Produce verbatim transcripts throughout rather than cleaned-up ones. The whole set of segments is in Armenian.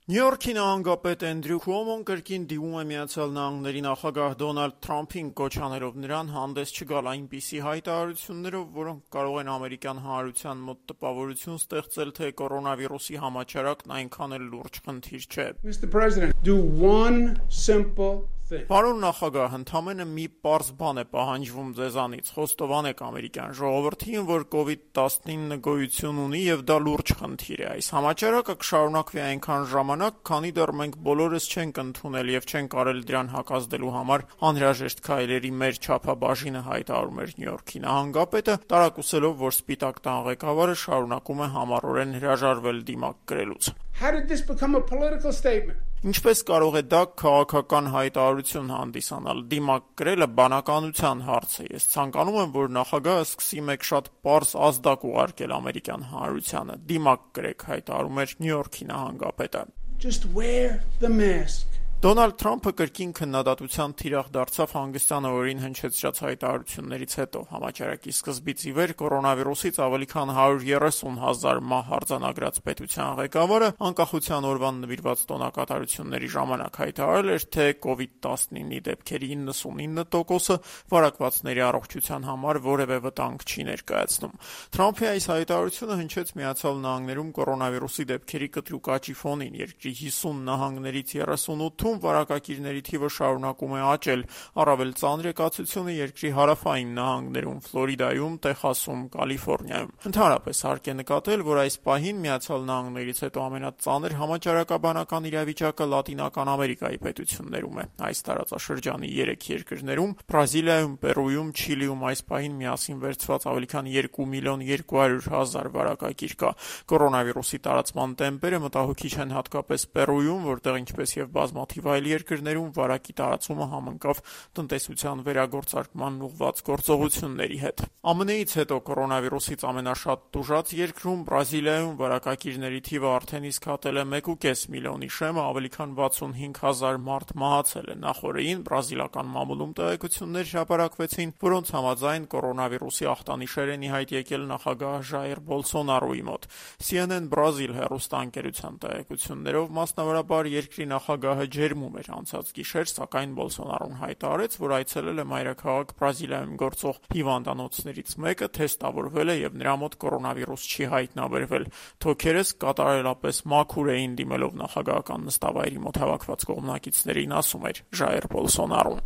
Նյու Յորքի նահանգապետ Էնդրյու Քուոմոն կրկին դիմում է Միացյալ Նահանգների նախագահ Դոնալդ Թրամփին կոչ անելով նրան հանդես չգալ այնպիսի հայտարարություններով, որոնք կարող են ամերիկյան հանրության մոտ տպավորություն ստեղծել, թե կորոնավիրուսի համաճարակն այնքան էլ լուրջ խնդիր չէ։ Mister President, do one simple Պարոն նախագահ, ընդամենը մի պարզ բան է պահանջվում ձեզանից, խոստովանեք ամերիկյան ժողովրդին, որ կովիդ տասնինը գոյություն ունի եւ դա լուրջ խնդիր է։ Այս համաճարակը կշարունակվի այնքան ժամանակ, քանի դեռ մենք բոլորս չենք ընդունել եւ չենք կարել դրան հակազդելու համար անհրաժեշտ քայլերի մեր չափաբաժինը, հայտարարում էր Նյու Յորքի նահանգապետը, տարակուսելով, որ Սպիտակ տան ղեկավարը շարունակում է համառորեն հրաժարվել դիմակ կրելուց։ How did this become a political statement? Ինչպես կարող է դա քաղաքական հայտարարություն հանդիսանալ։ Դիմակ կրելը բանականության հարց է։ Ես ցանկանում եմ, որ նախագահը սկսի մեկ շատ պարզ ազդակ ուղարկել ամերիկյան հանրությանը։ Դիմակ կրեք, հայտարարում էր Նյու Յորքի նահանգապետը։ Just wear the mask. Դոնալդ Թրամփը կրկին քննադատության թիրախ դարձավ հանգստյան օրերին հնչեցրած հայտարարություններից հետո։ Համաճարակի սկզբից ի վեր կորոնավիրուսից ավելի քան հարյուր երեսուն հազար մահ արձանագրած պետության ղեկավարը անկախության օրվան նվիրված տոնակատարությունների ժամանակ հայտարարել էր, թե կովիդ տասնինի դեպքերի իննսունինը տոկոսը վարակվածների առողջության համար որևէ վտանգ չի ներկայացնում։ Թրամփի այս հայտարարությունը հնչեց Միացյալ Նահանգներում կորոնավիրուսի դեպքերի կտրուկ աճի ֆոնին։ Երկրի հիսուն նահանգներից երեսունութում վարակակիրների թիվը շարունակում է աճել, առավել ծանր է կացությունը երկրի հարավային նահանգներում, Ֆլորիդայում, Տեխասում, Կալիֆոռնիայում։ Ընդհանրապես հարկ է նկատել, որ այս պահին Միացյալ Նահանգներից հետո ամենածանր համաճարակաբանական իրավիճակը Լատինական Ամերիկայի պետություններում է։ Այս տարածաշրջանի երեք երկրներում՝ Բրազիլիայում, Պերույում, Չիլիում այս պահին միասին վերցված ավելի քան երկու միլիոն երկու հարյուր հազար վարակակիր կա։ Կորոնավիրուսի տարածման տեմպերը մտահոգիչ են հատկապես Պերույում, որտեղ ինչպես եւ բազմաթիվ այլ երկրներում վարակի տարածումը համընկավ տնտեսության վերագործարկման ուղղված գործողությունների հետ։ Ամեն Ինչ-ից հետո կորոնավիրուսից ամենաշատ տուժած երկրում Բրազիլիայում վարակակիրների թիվը արդեն իսկ հատել է մեկ ու կես միլիոնի շեմը, ավելի քան վաթսունհինգ հազար մարդ մահացել է։ Նախորդին բրազիլական մամուլում տեղեկություններ հրապարակվեցին, որոնց համաձայն կորոնավիրուսի ախտանիշեր են ի հայտ եկել նախագահ Ժայր Բոլսոնարոյի մոտ։ C N N Brazil հեռուստաընկերության տեղեկություններով մասնավորաբար երկրի նախագահը ջերմում էր անցած գիշեր, սակայն Բոլսոնարոն հայտարարեց, որ այցելել է մայրաքաղաք Բրազիլիայում գործող հիվանդանոցներից մեկը, թեստավորվել է եւ նրա մոտ կորոնավիրուս չի հայտնաբերվել։ Թոքերս կատարելապես մաքուր էին, դիմելով նախագահական նստավայրի մոտ հավաքված կողմնակիցներին, ասում էր Ժայր Բոլսոնարոն։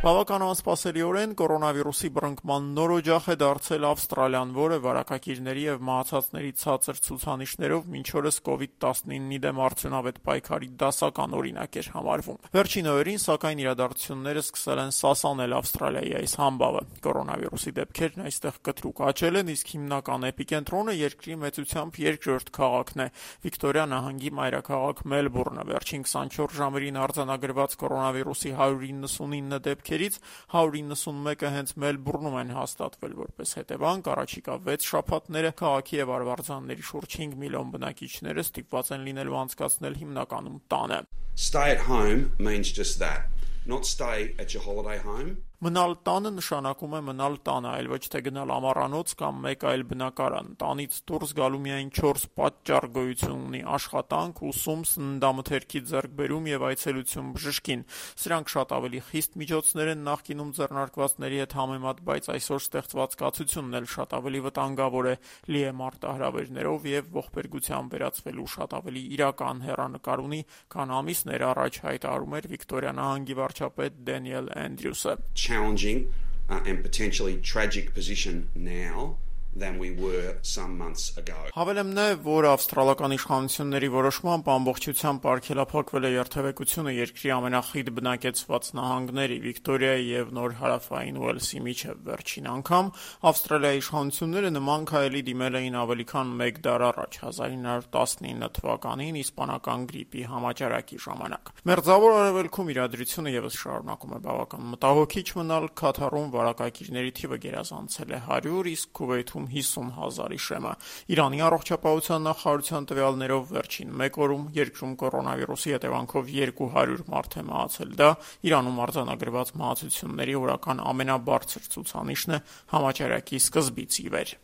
Բավական անսպասելիորեն կորոնավիրուսի բռնկման նոր օջախ է դարձել Ավստրալիան, որը վարակակիրների եւ մահացածների ցածր ցուցանիշներով մինչ օրս կովիդ տասնինի դեմ արդյունավետ պայքարի դասական օրինակ էր համարվում։ Վերջին օրերին, սակայն, իրադարձությունները սկսել են սասանել Ավստրալիայի այս համբավը։ Կորոնավիրուսի դեպքերն այստեղ կտրուկ աճել են, իսկ հիմնական էպիկենտրոնը երկրի մեծությամբ երկրորդ քաղաքն է՝ Վիկտորիա նահանգի մայրաքաղաք Մելբուրնը։ Վերջին քսանչորս ժամերին արձանագրված կորոնավիրուսի հարյուր իննսունինը դեպքերից հարյուր իննսունմեկը հենց Մելբուրնում են հաստատվել, որպես հետևանք առաջիկա վեց շաբաթները քաղաքի եւ արվարձանների շուրջ հինգ միլիոն բնակիչները ստիպված են լինելու անցկացնել հիմնականում տանը։ Stay at home means just that. Not stay at your holiday home. Մնալ տանը նշանակում է մնալ տանը, այլ ոչ թե գնալ ամառանոց կամ մեկ այլ բնակարան։ Տանից դուրս գալու միայն չորս պատճառ գոյություն ունի՝ աշխատանք, ուսում, սննդամթերքի ձեռքբերում եւ այցելություն բժշկին։ Սրանք շատ ավելի խիստ միջոցներ են նախկինում ձեռնարկվածների հետ համեմատ, բայց այսօր ստեղծված կացությունն էլ շատ ավելի վտանգավոր է, լի է մարտահրավերներով եւ ողբերգությամբ վերածվելու շատ ավելի իրական հեռանկար ունի, քան ամիսներ առաջ հայտարարում էր Վիկտորիա նահանգի վարչապետ Դենիել Էնդրյուսը։ Challenging uh, and potentially tragic position now than we were some months ago. Հավելեմն է, որ ավստրալական իշխանությունների որոշմամբ ամբողջությամբ արգելափակվել է երթևեկությունը երկրի ամենախիտ բնակեցված նահանգների Վիկտորիայի եւ Նոր Հարավային Ուելսի միջև վերջին անգամ Ավստրալիայի իշխանությունները նման քայլի դիմել էին ավելի քան մեկ դար առաջ, հազար ինը հարյուր տասնինը թվականին իսպանական գրիպի համաճարակի ժամանակ։ Մերձավոր Արևելքում իրադրությունը եւս շարունակում է բավական մտահոգիչ մնալ։ Քաթարում վարակակիրների թիվը գերազանցել է հարյուր, իսկ Քուվեյթում հիսուն հազարի շեմը։ Իրանի առողջապահության նախարարության տվյալներով վերջին մեկ օրում երկրում կորոնավիրուսի հետևանքով երկու հարյուր մարդ է մահացել։ Դա Իրանում արձանագրված մահացությունների օրական ամենաբարձր ցուցանիշն է համաճարակի սկզբից ի վեր։